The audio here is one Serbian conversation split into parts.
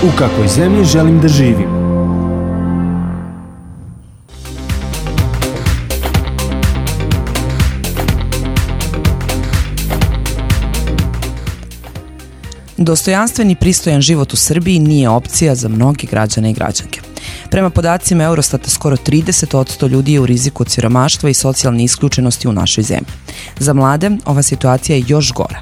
U kakvoj zemlji želim da živim? Dostojanstven i pristojan život u Srbiji nije opcija za mnogi građane i građanke. Prema podacima Eurostata, skoro 30% ljudi je u riziku od siromaštva i socijalne isključenosti u našoj zemlji. Za mlade ova situacija je još gora.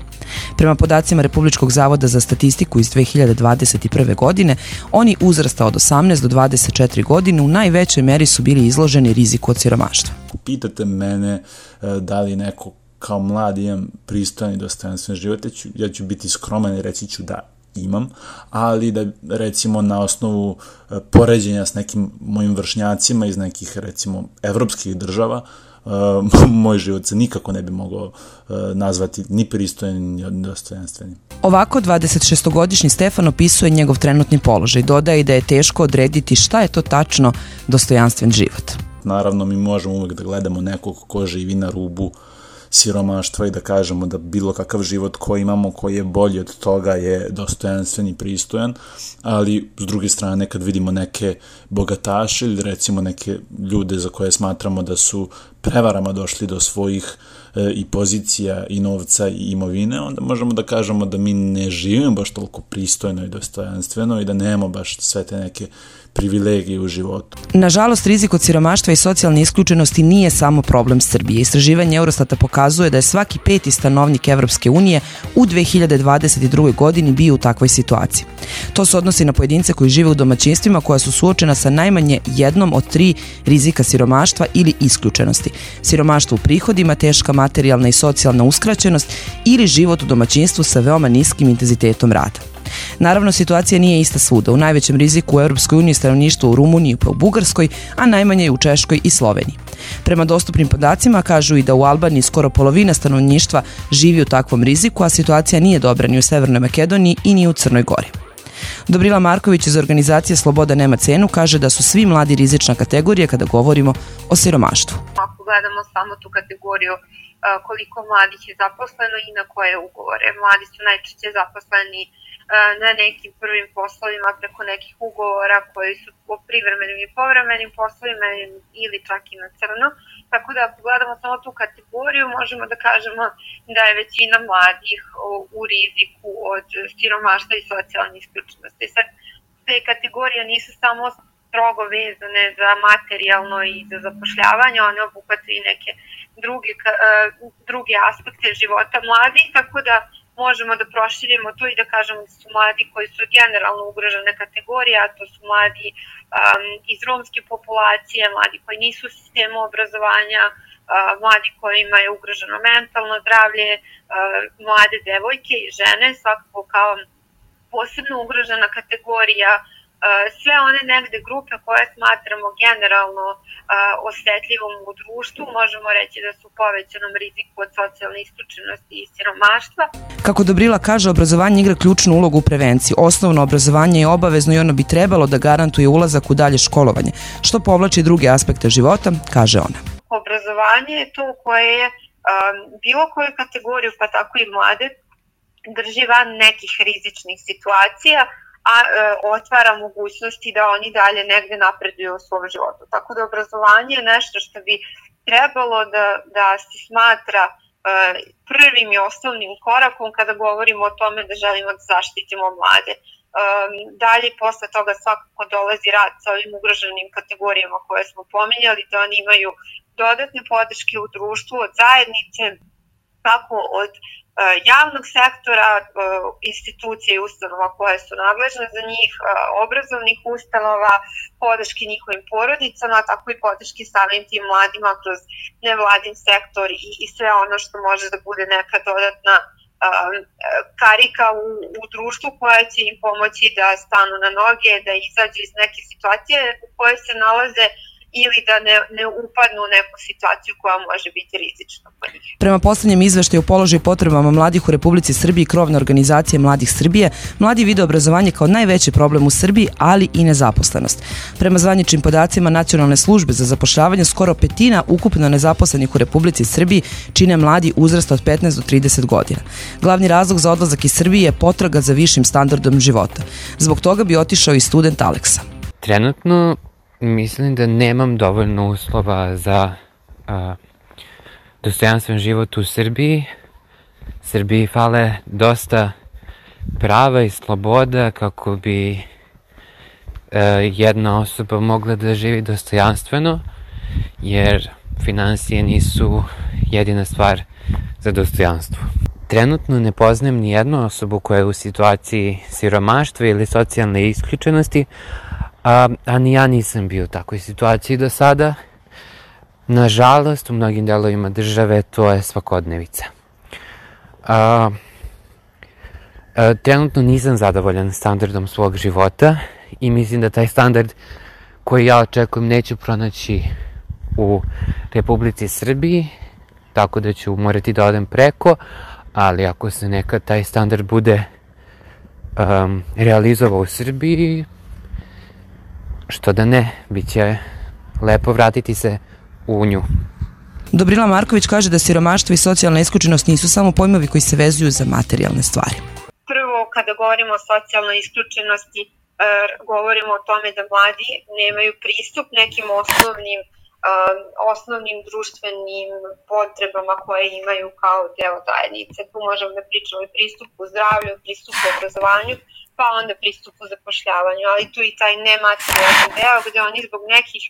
Prema podacima Republičkog zavoda za statistiku iz 2021. godine, oni uzrasta od 18 do 24 godine u najvećoj meri su bili izloženi riziku od siromaštva. Pitate mene da li neko kao mlad imam pristojan i dostojanstven život, ja ću biti skroman i reći ću da imam, ali da recimo na osnovu poređenja s nekim mojim vršnjacima iz nekih recimo evropskih država, moj život se nikako ne bi mogao nazvati ni pristojan ni dostojanstvenim. Ovako 26-godišnji Stefan opisuje njegov trenutni položaj. Dodaje da je teško odrediti šta je to tačno dostojanstven život. Naravno, mi možemo uvek da gledamo nekog ko živi na rubu siromaštva i da kažemo da bilo kakav život koji imamo, koji je bolji od toga, je dostojanstven i pristojan, ali s druge strane kad vidimo neke bogataše ili recimo neke ljude za koje smatramo da su prevarama došli do svojih i pozicija i novca i imovine, onda možemo da kažemo da mi ne živimo baš toliko pristojno i dostojanstveno i da nemamo baš sve te neke privilegije u životu. Nažalost, rizik od siromaštva i socijalne isključenosti nije samo problem Srbije. Istraživanje Eurostata pokazuje da je svaki 5. stanovnik Evropske unije u 2022. godini bio u takvoj situaciji. To se odnosi na pojedince koji žive u domaćinstvima koja su suočena sa najmanje jednom od 3 rizika siromaštva ili isključenosti. Siromaštvo u prihodima, teška materijalna i socijalna uskraćenost ili život u domaćinstvu sa veoma niskim intenzitetom rada. Naravno, situacija nije ista svuda. U najvećem riziku u Europskoj uniji stanovništvo u Rumuniji pa u Bugarskoj, a najmanje u Češkoj i Sloveniji. Prema dostupnim podacima kažu i da u Albaniji skoro polovina stanovništva živi u takvom riziku, a situacija nije dobra ni u Severnoj Makedoniji i ni u Crnoj Gori. Dobrila Marković iz organizacije Sloboda nema cenu kaže da su svi mladi rizična kategorija kada govorimo o siromaštvu. Ako gledamo samo tu kategoriju koliko mladih je zaposleno i na koje ugovore. Mladi su najčešće zaposleni na nekim prvim poslovima preko nekih ugovora koji su po privremenim i povremenim poslovima ili čak i na crno. Tako da ako gledamo samo tu kategoriju možemo da kažemo da je većina mladih u riziku od siromaštva i socijalne isključenosti. Sad, te kategorije nisu samo strogo vezane za materijalno i za zapošljavanje, one obuhvataju i neke druge aspekte života mladih, tako da možemo da proširimo to i da kažemo da su mladi koji su generalno ugrožene kategorije, a to su mladi iz romske populacije, mladi koji nisu u sistemu obrazovanja, mladi kojima je ugroženo mentalno zdravlje, mlade devojke i žene, svakako kao posebno ugrožena kategorija, sve one negde grupe koje smatramo generalno osetljivom u društvu, možemo reći da su u povećanom riziku od socijalne isključenosti i siromaštva. Kako Dobrila kaže, obrazovanje igra ključnu ulogu u prevenciji. Osnovno obrazovanje je obavezno i ono bi trebalo da garantuje ulazak u dalje školovanje, što povlači druge aspekte života, kaže ona. Obrazovanje je to koje je bilo koju kategoriju, pa tako i mlade, drži van nekih rizičnih situacija, a otvara mogućnosti da oni dalje negde napreduju u svom životu. Tako da obrazovanje je nešto što bi trebalo da se smatra prvim i osnovnim korakom kada govorimo o tome da želimo da zaštitimo mlade. Dalje, posle toga svakako dolazi rad sa ovim ugroženim kategorijama koje smo pominjali, da oni imaju dodatne podrške u društvu od zajednice, kako od javnog sektora, institucija i ustanova koje su nadležne za njih, obrazovnih ustanova, podrške njihovim porodicama, tako i podrške samim tim mladima kroz nevladin sektor i sve ono što može da bude neka dodatna karika u društvu koja će im pomoći da stanu na noge, da izađu iz neke situacije u kojoj se nalaze ili da ne upadnu u neku situaciju koja može biti rizična po njih. Prema poslednjem izveštaju o položaju i potrebama mladih u Republici Srbiji krovne organizacije Mladih Srbije, mladi vide obrazovanje kao najveći problem u Srbiji, ali i nezaposlenost. Prema zvaničnim podacima Nacionalne službe za zapošljavanje, skoro petina ukupno nezaposlenih u Republici Srbiji čine mladi uzrasta od 15 do 30 godina. Glavni razlog za odlazak iz Srbije je potraga za višim standardom života. Zbog toga bi otišao i student Aleksa. Trenutno mislim da nemam dovoljno uslova za dostojanstven život u Srbiji. Srbiji fale dosta prava i sloboda kako bi jedna osoba mogla da živi dostojanstveno, jer finansije nisu jedina stvar za dostojanstvo. Trenutno ne poznajem ni jednu osobu koja je u situaciji siromaštva ili socijalne isključenosti, a ni ja nisam bio u takvoj situaciji do sada. Nažalost, u mnogim delovima države to je svakodnevica. Trenutno nisam zadovoljan standardom svog života i mislim da taj standard koji ja očekujem neću pronaći u Republici Srbiji, tako da ću morati da odem preko, ali ako se nekad taj standard bude realizovao u Srbiji, što da ne, bit će lepo vratiti se u nju. Dobrila Marković kaže da siromaštvo i socijalna isključenost nisu samo pojmovi koji se vezuju za materijalne stvari. Prvo, kada govorimo o socijalnoj isključenosti, govorimo o tome da mladi nemaju pristup nekim osnovnim društvenim potrebama koje imaju kao deo zajednice. Tu možemo da pričamo i pristupu zdravlju, pristupu obrazovanju, pa onda pristupu zapošljavanju, ali tu i taj nematerijalni deo gde oni zbog nekih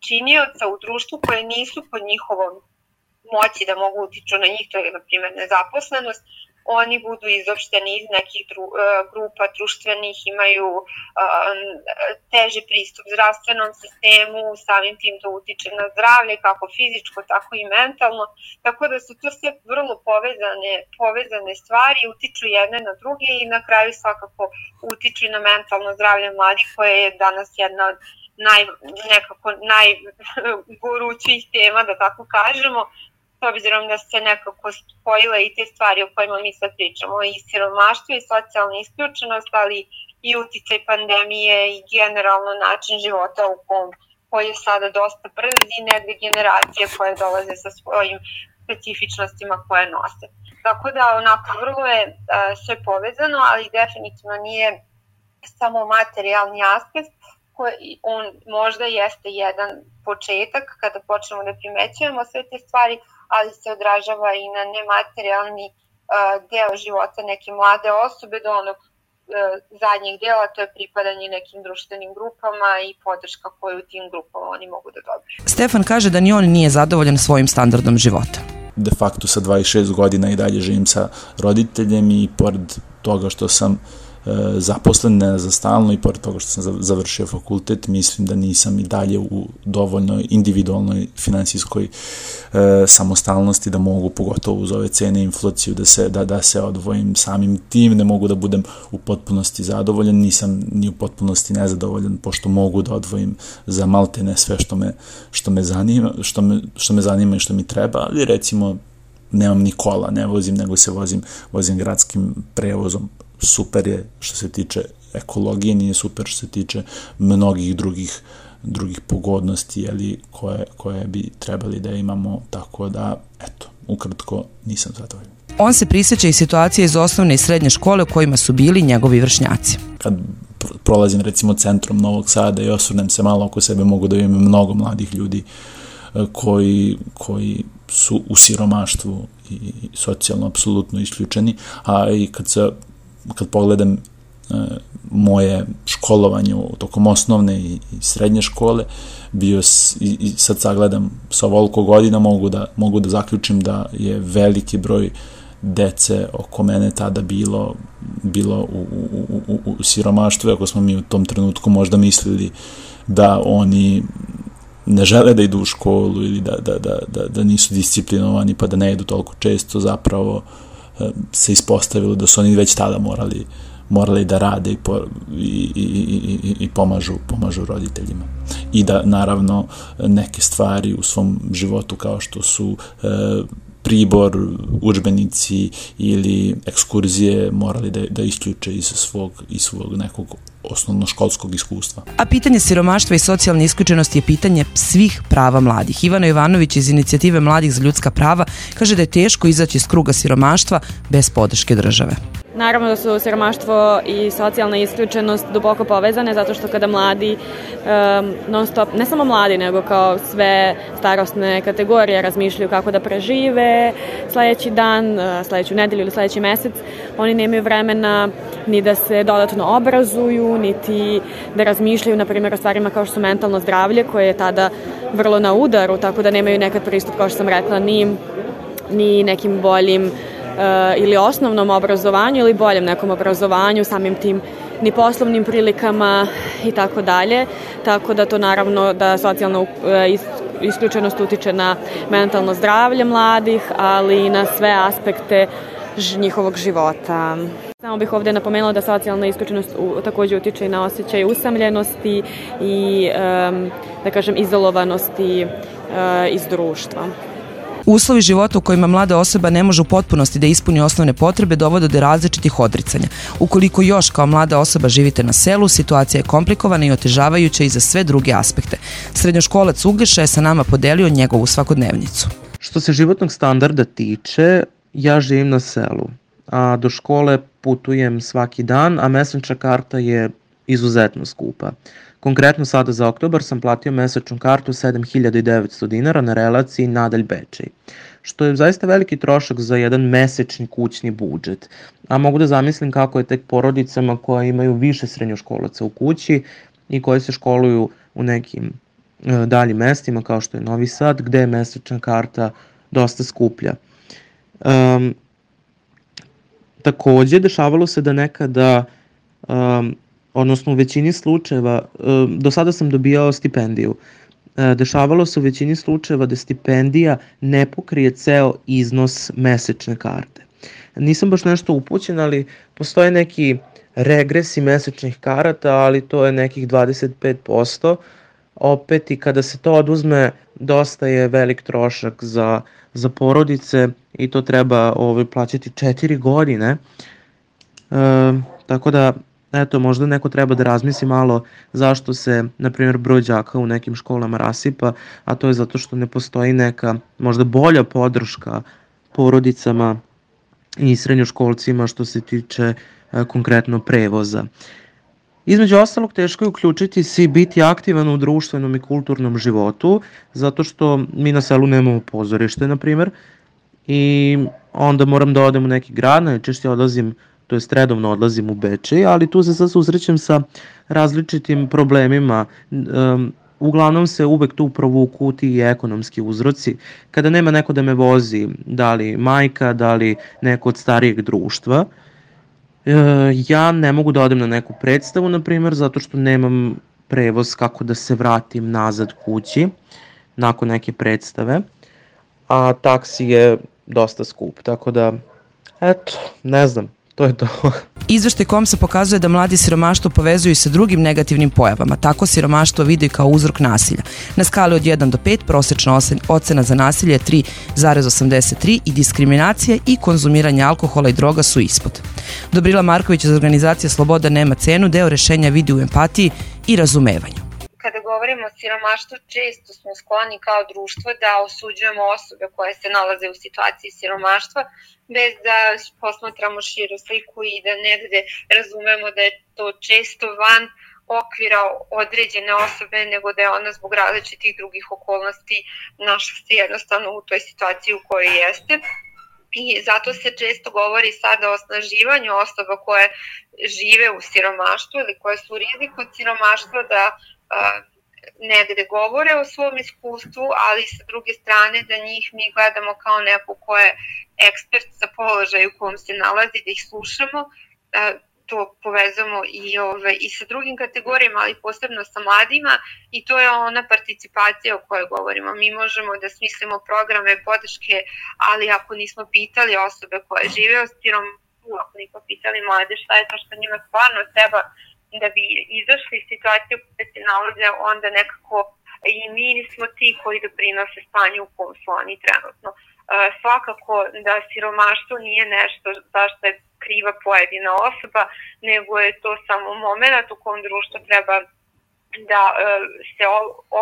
činioca u društvu koje nisu pod njihovom moći da mogu utiču na njih, to je na primjer nezaposlenost, oni budu izopšteni iz nekih grupa društvenih, imaju teži pristup zdravstvenom sistemu, samim tim to utiče na zdravlje, kako fizičko, tako i mentalno, tako da su to sve vrlo povezane stvari, utiču jedne na druge i na kraju svakako utiču na mentalno zdravlje mladih, koje je danas jedna od najgorućih tema, da tako kažemo, s obzirom da se nekako spojile i te stvari o kojima mi sad pričamo, i siromaštvo i socijalna isključenost, ali i uticaj pandemije i generalno način života koji je sada dosta brz i negde generacije koje dolaze sa svojim specifičnostima koje nose. Tako da onako vrlo je sve povezano, ali definitivno nije samo materijalni aspekt, on možda jeste jedan početak kada počnemo da primećujemo sve te stvari, ali se odražava i na nematerijalni deo života neke mlade osobe do onog zadnjeg dela, to je pripadanje nekim društvenim grupama i podrška koju u tim grupama oni mogu da dobiju. Stefan kaže da ni on nije zadovoljan svojim standardom života. De facto sa 26 godina i dalje živim sa roditeljem i pored toga što sam zaposlen ne za stalno i pored toga što sam završio fakultet, mislim da nisam i dalje u dovoljnoj individualnoj finansijskoj samostalnosti da mogu, pogotovo uz ove cene i inflaciju, da se odvojim. Samim tim ne mogu da budem u potpunosti zadovoljan, nisam ni u potpunosti nezadovoljan, pošto mogu da odvojim za maltene sve što me zanima i što mi treba, ali recimo nemam ni kola, ne vozim, nego se vozim gradskim prevozom. Super je što se tiče ekologije, nije super što se tiče mnogih drugih pogodnosti koje bi trebali da imamo, tako da, eto, ukratko nisam zadovoljan. On se prisjeća i situacije iz osnovne i srednje škole u kojima su bili njegovi vršnjaci. Kad prolazim recimo centrom Novog Sada i osvrnem se malo oko sebe, mogu da vidim mnogo mladih ljudi koji su u siromaštvu i socijalno apsolutno isključeni, a i kad pogledam moje školovanje tokom osnovne i srednje škole, i sad sagledam sa ovoliko godina, mogu da zaključim da je veliki broj dece oko mene tada bilo u siromaštvu, ako smo mi u tom trenutku možda mislili da oni ne žele da idu u školu ili da nisu disciplinovani pa da ne idu toliko često, zapravo se ispostavilo da su oni već tada morali da rade i pomažu roditeljima. I da naravno neke stvari u svom životu kao što su pribor, udžbenici ili ekskurzije morali da isključe iz svog nekog osnovnoškolskog iskustva. A pitanje siromaštva i socijalne isključenosti je pitanje svih prava mladih. Ivana Jovanović iz inicijative Mladih za ljudska prava kaže da je teško izaći iz kruga siromaštva bez podrške države. Naravno da su siromaštvo i socijalna isključenost duboko povezane, zato što kada mladi non stop, ne samo mladi, nego kao sve starosne kategorije razmišljaju kako da prežive sledeći dan, sledeću nedelju ili sledeći mesec, oni nemaju vremena ni da se dodatno obrazuju, niti da razmišljaju, na primjer, o stvarima kao što su mentalno zdravlje, koje je tada vrlo na udaru, tako da nemaju nekad pristup, kao što sam rekla, ni nekim boljim ili osnovnom obrazovanju ili boljem nekom obrazovanju, samim tim ni poslovnim prilikama i tako dalje. Tako da to naravno da socijalna isključenost utiče na mentalno zdravlje mladih, ali i na sve aspekte njihovog života. Samo bih ovde napomenula da socijalna isključenost takođe utiče i na osjećaj usamljenosti i, da kažem, izolovanosti iz društva. Uslovi života u kojima mlada osoba ne može u potpunosti da ispuni osnovne potrebe dovode do različitih odricanja. Ukoliko još kao mlada osoba živite na selu, situacija je komplikovana i otežavajuća i za sve druge aspekte. Srednjoškolac Uglješa je sa nama podelio njegovu svakodnevnicu. Što se životnog standarda tiče, ja živim na selu, a do škole putujem svaki dan, a mesečna karta je izuzetno skupa. Konkretno sada za oktobar sam platio mesečnu kartu 7.900 dinara na relaciji Nadalj-Bečej, što je zaista veliki trošak za jedan mesečni kućni budžet. A mogu da zamislim kako je tek porodicama koje imaju više srednjoškolaca u kući i koje se školuju u nekim daljim mestima kao što je Novi Sad, gde je mesečna karta dosta skuplja. Takođe, dešavalo se da nekada odnosno u većini slučajeva, do sada sam dobijao stipendiju, dešavalo se u većini slučajeva da stipendija ne pokrije ceo iznos mesečne karte. Nisam baš nešto upućen, ali postoje neki regresi mesečnih karata, ali to je nekih 25%. Opet i kada se to oduzme, dosta je velik trošak za porodice i to treba plaćati 4 godine. Tako da, eto, možda neko treba da razmisli malo zašto se, na primjer, broj đaka u nekim školama rasipa, a to je zato što ne postoji neka možda bolja podrška porodicama i srednjoškolcima što se tiče konkretno prevoza. Između ostalog, teško je uključiti se i biti aktivan u društvenom i kulturnom životu, zato što mi na selu nemamo pozorište, na primjer, i onda moram da odem u neki grad, najčešće odlazim, to jest redovno odlazim u Bečej, ali tu se sad susrećem sa različitim problemima. Uglavnom se uvek tu provuku ti ekonomski uzroci. Kada nema neko da me vozi, da li majka, da li neko od starijeg društva, ja ne mogu da odem na neku predstavu, na primjer, zato što nemam prevoz kako da se vratim nazad kući nakon neke predstave, a taksi je dosta skup, tako da, eto, ne znam. To je to. Izveštaj KOMS-a pokazuje da mladi siromaštvo povezuju sa drugim negativnim pojavama. Tako siromaštvo vidi kao uzrok nasilja. Na skali od 1 do 5 prosečna ocena za nasilje je 3,83 i diskriminacija i konzumiranje alkohola i droga su ispod. Dobrila Marković iz organizacije Sloboda nema cenu deo rešenja vidi u empatiji i razumevanju. Kada govorimo o siromaštvu, često smo skloni kao društvo da osuđujemo osobe koje se nalaze u situaciji siromaštva, bez da posmatramo širu sliku i da negde razumemo da je to često van okvira određene osobe, nego da je ona zbog različitih drugih okolnosti našla se jednostavno u toj situaciji u kojoj jeste. I zato se često govori sada o osnaživanju osoba koje žive u siromaštvu ili koje su u riziku od siromaštva da negde govore o svom iskustvu, ali sa druge strane da njih mi gledamo kao neko ko je ekspert za položaj u kom se nalazi, da ih slušamo, to povezamo i sa drugim kategorijama, ali posebno sa mladima, i to je ona participacija o kojoj govorimo. Mi možemo da smislimo programe podrške, ali ako nismo pitali osobe koje žive u uopni popitali mlade šta je to što njima stvarno treba da bi izašli iz situacije u kojoj se nalaze, onda nekako i mi nismo ti koji doprinose stanju u kom su oni trenutno. Svakako da siromaštvo nije nešto zašto je kriva pojedina osoba, nego je to samo moment u kom društvo treba da se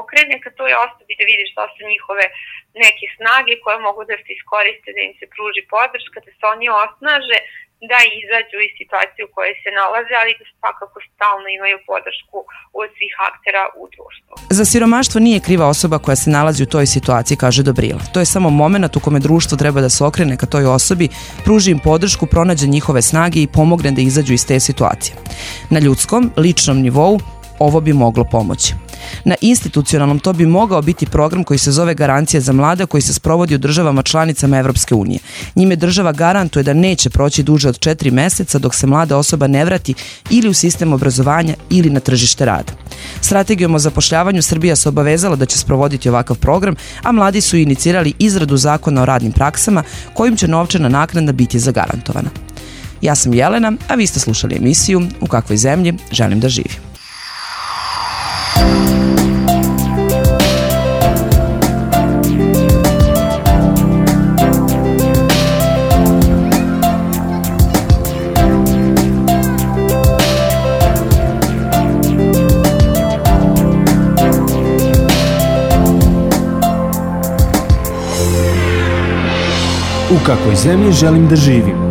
okrene ka toj osobi, da vidi šta su njihove neke snage koje mogu da se iskoriste, da im se pruži podrška, da se oni osnaže, da izađu iz situacije u kojoj se nalaze, ali da svakako stalno imaju podršku od svih aktera u društvu. Za siromaštvo nije kriva osoba koja se nalazi u toj situaciji, kaže Dobrila. To je samo moment u kome društvo treba da se okrene ka toj osobi, pruži im podršku, pronađe njihove snage i pomogne da izađu iz te situacije. Na ljudskom, ličnom nivou ovo bi moglo pomoći. Na institucionalnom to bi mogao biti program koji se zove Garancija za mlade, koji se sprovodi u državama članicama Evropske unije. Njime država garantuje da neće proći duže od 4 meseca dok se mlada osoba ne vrati ili u sistem obrazovanja ili na tržište rada. Strategijom o zapošljavanju Srbija se obavezala da će sprovoditi ovakav program, a mladi su inicirali izradu zakona o radnim praksama kojim će novčana naknada biti zagarantovana. Ja sam Jelena, a vi ste slušali emisiju U kakvoj zemlji želim da živim. U kakvoj zemlji želim da živim?